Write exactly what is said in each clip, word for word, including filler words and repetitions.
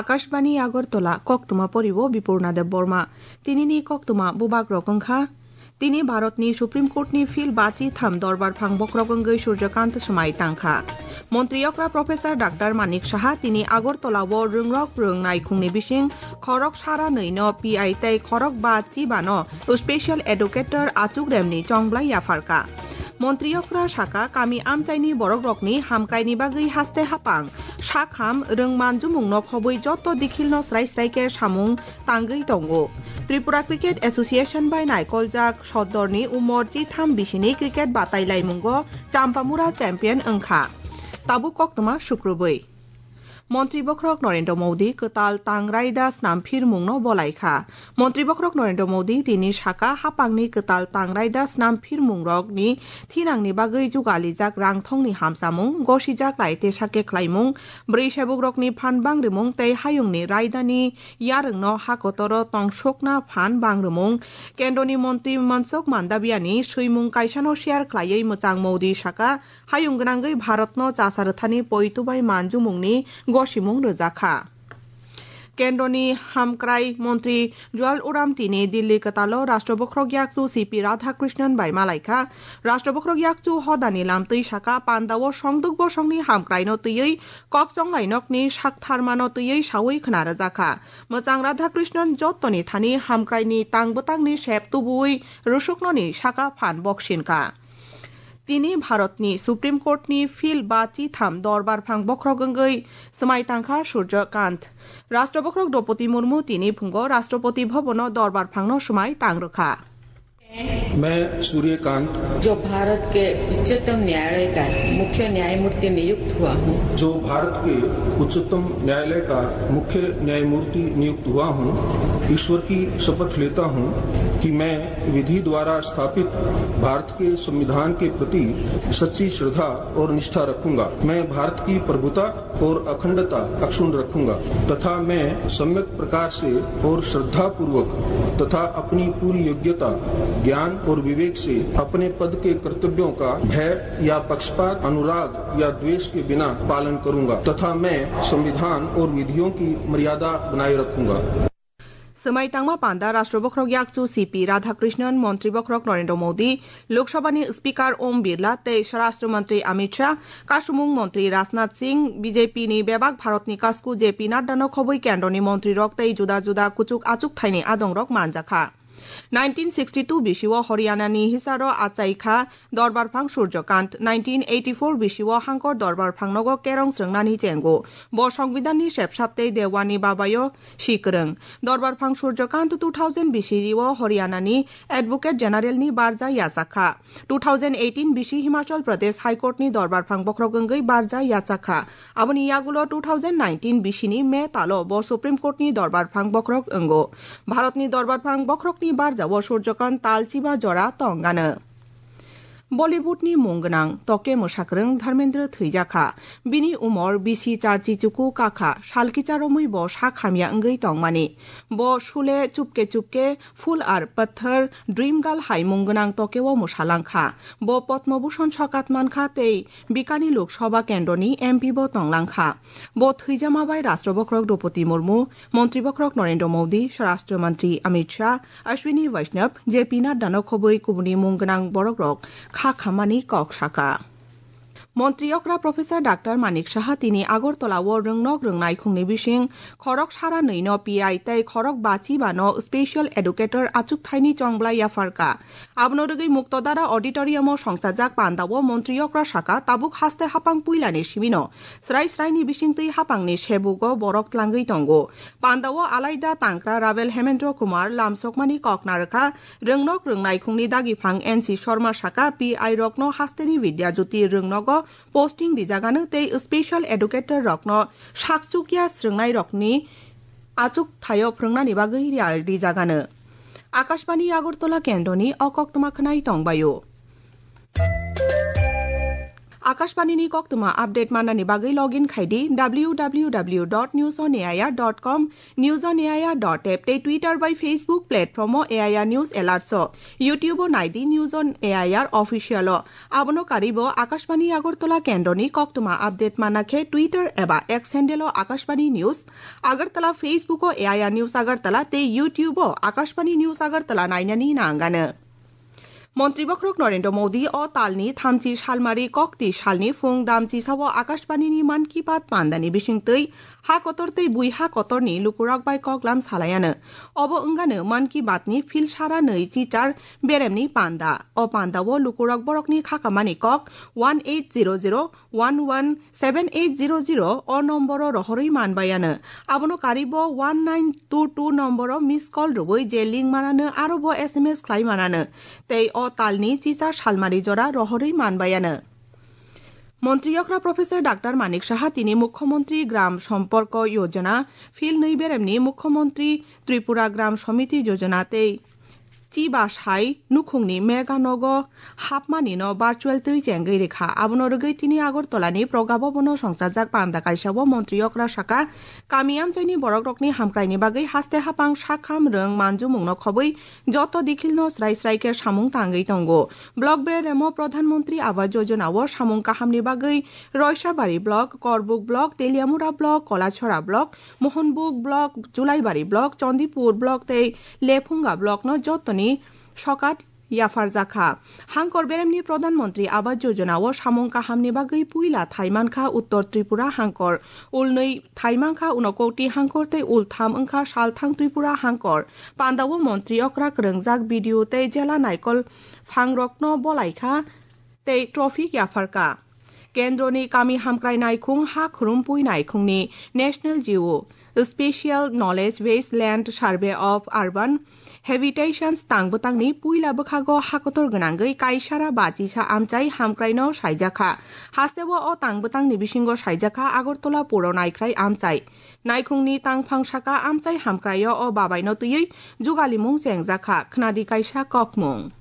Akashbani Agartala, koktwma poriwo Bipurna Debbarma. Tinini koktwma bubagrok wngkha. Tini Bharatni Supreme Courtni phil bachi tham dorbar phang bokhorok wngwi Surjakant swmai tangkha. Montri okra Professor Doctor Manik Saha tini Agartala-o rwngrok rwng naikhungni bising khorok sara nwi no P I tei khorok ba chiba no Special Educator Achuk Remni chongblai yapharkha. Montri okra saka kami amchaini borokrokni hamkraini bagwi haste hapang, sakham, rwng manjumungno khobwi joto dikhilno srai srai khe samung tangwi tongo. Tripura Cricket Association bai naikoljak sodorni umor chitham bisini cricket batailaimungo Champamura champion wngkha. Tabuk koktwma sukrubwi. Montri bokhorok Narendra Modi kwtal tang raida snam phirmungno bolaikha. Montri bokhorok Narendra Modi tini saka hapangni kwtal tang raida snam phirmungrokni thinangni bagwi jugalijak rangthongni hamsamung, gosijak lai tesa khe khlaimung, bwrwi sebukrokni phan bangrimung tei hayungni raidani yarwngno hakotoro tongsokna phan bangrimung. Kendroni montri Mansukh Mandaviani swimung kaisano share khlaiwi mwchang Modi saka, hayung gwnangwi Bharatno chasa rwthani poito bai manjumungni gosimung rwjakha. Kendroni hamkrai montri Jual Oram tini Dilli kwtalo Rashtra Bokhorok Yakchu C P Radhakrishnan bai malaikha. Rashtra Bokhorok Yakchu hodani lamtwi saka pandao songduk bosongni hamkraino twiwi kok chonglainokni saktharmano twiwi sawi khna rwjakha. Mwchang Radhakrishnan jottoni thani hamkraini tang bwtangni sep tubuwi rwsuknoni saka phan boksinkha. Tini Bharatni Supreme Courtni phil ba chitham dorbar phang bokhorok wngwi swmai tangkha Surjo Kant. Rashtra Bokhorok Droupadi Murmu tini phungo Rashtrapati Bhabono dorbar phangno swmai tang rwkha. मैं सूर्यकांत, जो भारत के उच्चतम न्यायालय का मुख्य न्यायमूर्ति नियुक्त हुआ हूँ। जो भारत के उच्चतम न्यायालय का मुख्य न्यायमूर्ति नियुक्त हुआ हूँ, ईश्वर की शपथ लेता हूँ कि मैं विधि द्वारा स्थापित भारत के संविधान के प्रति सच्ची श्रद्धा और निष्ठा रखूंगा। मैं भारत की प्रभुता और अखंडता अक्षुण्ण रखूंगा तथा मैं सम्यक प्रकार से और श्रद्धापूर्वक तथा अपनी पूरी योग्यता, ज्ञान और विवेक से अपने पद के कर्तव्यों का भय या पक्षपात, अनुराग या द्वेष के बिना पालन करूंगा तथा मैं संविधान और विधियों की मर्यादा बनाए रखूंगा। Swmai tangma panda Rashtra Bokhorok Yakchu C P Radhakrishnan, Montri Bokhorok Narendra Modi, Lok Sabhani Speaker Om Birla tei Swarashtra Mantri Amit Shah, Kasumung Mantri Rajnath Singh, B J P ni bebak Bharatni kasku J P Naddano khobwi kendroni montrirok tei juda juda kuchuk achuk thaini adongrok manjakha. Nineteen sixty-two bisio Haryanani hisaro achaikha Dorbar Phang Surjakant, nineteen eighty-four bisio Hangkor Dorbar Phangnogo kerong srwngnani chengo. Bo Songbidanni sepsap tei Dewani babayo si kwrwng. Dorbar Phang Surjakant two thousand bisirio Haryanani Advocate Generalni barja yachakha. Two thousand eighteen bisi Himachal Pradesh High Courtni Dorbar Phang bokhorok wngwi barja yachakha. Aboni yagulo two thousand nineteen bisini May talo bo Supreme Courtni Dorbar Phang bokhorok wngo. Bharatni Dorbar Phang bokhorokni barjao Surjakant tal chiba jora tongano. Bollywoodni mung gwnang toke mwsakwrwng Dharmendra thwijakha. Bini umor bisi charchi chuku kakha, salkicha romwi bo sak hamya wngwi tongmani. Bo Sule, Chupke Chupke, Phul Aur Patthar, Dream Girl hai mung gwnang tokeo mwsalangkha. Bo Padma Bhushan sokat mankha tei Bikani Lok Sabha kendroni M P bo tonglangkha. Bo thwijama bai Rashtra Bokhorok Droupadi Murmu, Montri Bokhorok Narendra Modi, Swarashtra Mantri Amit Shah, Ashwini Vaishnaw, J P Naddano khobwi kubuni mung gwnang borokrok kha khammani kok saka. Montri okra Professor Doctor Manik Saha tini Agartala-o rwngnok rwngnai khungni bising khorok sara nwi no P I tei khorok bachi ba no Special Educator achuk thaini chongblai yapharkha. Abono rwgwi Muktodara Auditorium-o songchajak pandao Montri okra saka tabuk haste hapang puilani simino srai sraini bisingtwi hapangni sebugo borok tlangwi tongo. Pandao alaida tangkra Ravel Hemendra Kumar lamsokmani kok narwkha, rwngnok rwngnai khungni dagiphang N C Sharma saka P I rokno hasteni Vidya Jyoti rwngnogo posting rijagano tei special educator rokno sakchukya srwngnairokni achuk thaio phwrwngnani bagwi riyal rijagano. Akashbani Agartala kendroni o koktwma khwnai tongbaio. Akashbani ni koktwma update manani bagwi login khai di W W W dot news on A I R dot com, news on A I R dot app tei Twitter bai Facebook platform o A I R News Alerts o, YouTube o nai di News on A I R Official o. Abono karwi bo Akashbani Agartala kendro ni koktwma update manna khe Twitter eba X handle o Akashbani News Agartala, Facebook o A I R News Agartala tei YouTube o Akashbani News Agartala nainani nangano. Montri bokhorok Narendra Modi o talni thamchi salmari kokti salni phung damchi sao Akashbani ni Mann Ki Baat pandani bisingtwi ha kotor tei bui ha kotorni lukurok bai koklam salaiano. Obo wngano Mann Ki Baat ni phil sara nwi chichar beremni panda. O panda o lukurok borokni khakamani kok one eight zero zero one one seven eight zero zero o nomboro rohorwi manbaiano. Abono karibo one nine two two nomboro miss call rwui je link manano aro bo S M S khlai manano. Tei o talni chichar salmari jora rohorwi manbaiano. Montri okra Professor Doctor Manik Saha tini Mukhyamantri Gram Samparko Yojana, phil nwi beremni Mukhyamantri Tripura Gram Samiti Yojana tei chiba sai nukhungni mega nogo hapmani no virtual twi chengwi rikha. Abono rwgwi tini Agartala ni Progabhavan o songchajak panda kaisa o montri okra saka, kami amchaini borok rokni hamkrai ni bagwi haste hapang sakham rwng manjumung no khobwi joto dikhil no srai srai khe samung tangwi tongo. Block beremo Pradhan Mantri Awas Yojana o samung kaham ni bagwi Roisabari Block, Korbuk Block, Teliamura Block, Kolachora Block, Mohanbug Block, Julaibari Block, Chandipur Block tei Lephunga Block no jotoni sokat yapharjakha. Hangkor beremni Pradhan Mantri Awas Yojana o samung kahamni bagwi puila thaimankha Uttor Tripura hangkor, ulnwi thaimankha Unakoti hangkor tei ultham wngkha Salthang Tripura hangkor. Pandao montri okra kwrwngjak B D O tei jela naikol phangrokno bolaikha tei trophy yapharkha. Kendroni kami hamkrai naikhung ha khurumpui naikhungni National G O, Special Knowledge Based Land Survey of Urban Habitations tang bwtangni puila bwkhago hakotor gwnangwi kaisara bachisa amchai hamkraino saijakha. Hasteo o tang bwtangni bisingo saijakha Agartala Puro Naikhrai Amchai. Naikhungni tangphang saka amchai hamkraio o babaino twiwi jugalimung chengjakha. Khnadi kaisa kokmung.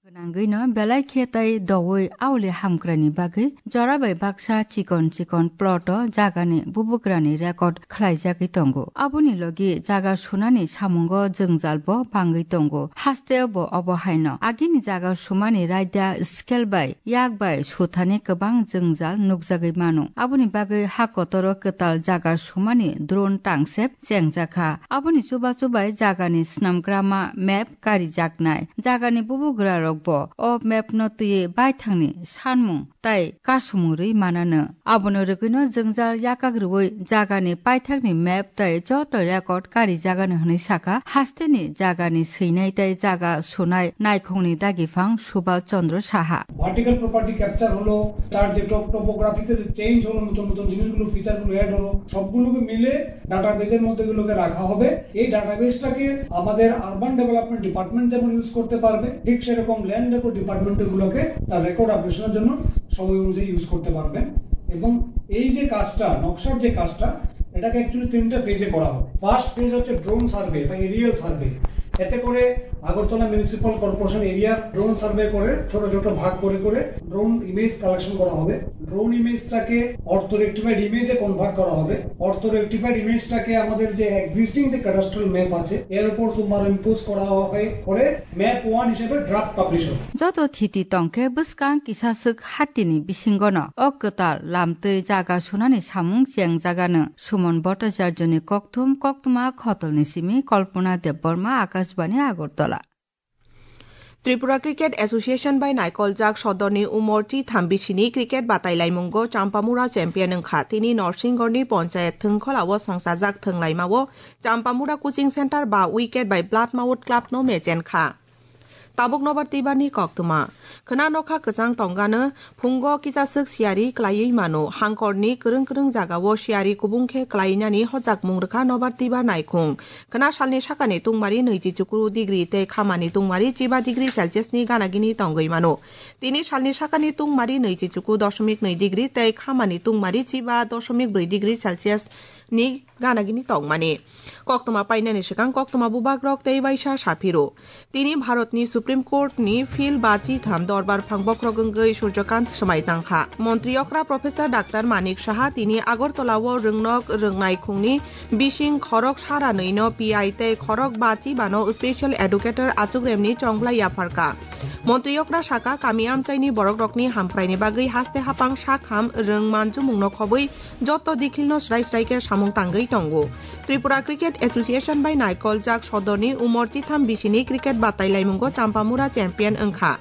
Gwnangwino belai khe tai doui auli hamkraini bagwi jora bai baksa chikon chikon plot o jagani bubugrani record khlaijagwi tongo. Aboni logi jaga sunani samungo jwngjal bo bangwi tongo. Hasteo bo obo haino agini jaga sumani raida scale bai yak bai suthani kwbang jwngjal nukjagwi mano. Aboni bagwi ha kotoro kwtal jaga sumani drone tangsep chengjakha. Aboni chubachu bai jagani snamgrama map karijaknai. Jagani bubugrarokbo o mapno twiwi baithangni sanmung tai kasumung rwi manano. Abono rwgwino jwngjal yakak rwui jagani paithakni map tai joto record karijagano hwnwi sakha. Hasteni jagani swinai tai jaga sunai naikhungni dagiphang Subal Chandra Saha. Vertical property capture হলো, তার যে টপ-, টোপোগ্রাফিতে যে চেঞ্জ হলো, নতুন নতুন জিনিসগুলো, ফিচারগুলো অ্যাড হলো, সবগুলোকে মিলে ডাটাবেজের মধ্যে এগুলোকে রাখা হবে। এই ডাটাবেজটাকে আমাদের আরবান ডেভেলপমেন্ট ডিপার্টমেন্ট যেমন ইউজ করতে পারবে, ঠিক সেরকম ল্যান্ড রেকর্ড ডিপার্টমেন্ট এগুলোকে তার রেকর্ড আপডেশনের জন্য সময় অনুযায়ী ইউজ করতে পারবেন। এবং এই যে কাজটা, নকশার যে কাজটা, এটাকে অ্যাকচুয়ালি তিনটা ফেজে করা হবে। ফার্স্ট ফেজ হচ্ছে ড্রোন সার্ভে বা এরিয়াল সার্ভে। এতে করে Agartala municipal corporation area drone survey করে ছোট ছোট ভাগ করে করে ড্রোন ইমেজ কালেকশন করা হবে। ড্রোন ইমেজটাকে অর্থো রেকটিফাইড ইমেজে কনভার্ট করা হবে। অর্থো রেকটিফাইড ইমেজটাকে আমাদের যে এক্সিস্টিং যে ক্যাডাস্ট্রাল ম্যাপ আছে, এর উপর সুপার ইম্পোজ করা হয়ে করে ম্যাপ ওয়ান হিসেবে ড্রাফট পাবলিশ হবে। Joto thiti tongkhe bwskang kisaswk hatini bisingono o kwtal lamtwi jaga sunani samung chengjagano. Suman Bhattacharjoni kokthum, koktwma khotolni simi Kalpana Debbarma, Akashbani, Agartala. Tripura Cricket Association bai naikoljak sodorni umor T thambisini cricket batailaimungo Champamura champion wngkha. Tini Norsingorni ponchayat thwngkholao songchajak thwnglaimao Champamura coaching center ba wicket bai Blood Mount Club no mechenkha. Tabuk nobar twibarni koktwma. Khwna nokha kwchang tongano phungo kisaswk siyari klaiwi mano. Hangkorni kwrwng kwrwng jagao siyari kubung khe klainani hojakmung rwkha nobar twibar naikhung. Khwna salni sakani tungmari nwichi chukru degree tei khamani tungmari chiba degree Celsius ni ganagini tongwi mano. Tini salni sakani tungmari nwichi chuku dosomik nwi degree tei khamani tungmari chiba dosomik brwi degree Celsius ni ganagini tongmani. Koktwma painani swkang koktwma bubagrok tei waisa saphiro. Tini Bharatni Supreme Court ni phil bachi tham dorbar phang bokhorok wngwi Surjakant swmai tangkha. Montri okra Professor Doctor Manik Saha tini Agartala o rwngnok rwngnai khungni bising khorok sara nwi no P I tei khorok bachi bano special educator achukremni chongblai yapharkha. Montri okra saka kami amchaini borokrokni hamkraini bagwi haste hapang sakham rwng manjumungno khobwi joto dikhilno srai srai khe samung tangwi tongo. Tripura Cricket Association bai naikoljak sodorni umor chitham bisini cricket batai laimungo Champamura champion wngkha.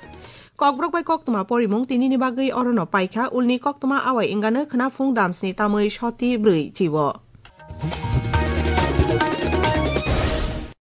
Kokborok bai koktwma porimung tinini bagwi orono paikha, ulni koktwma awai wngano khwnaphung damsni tamwi soti brwi chibo.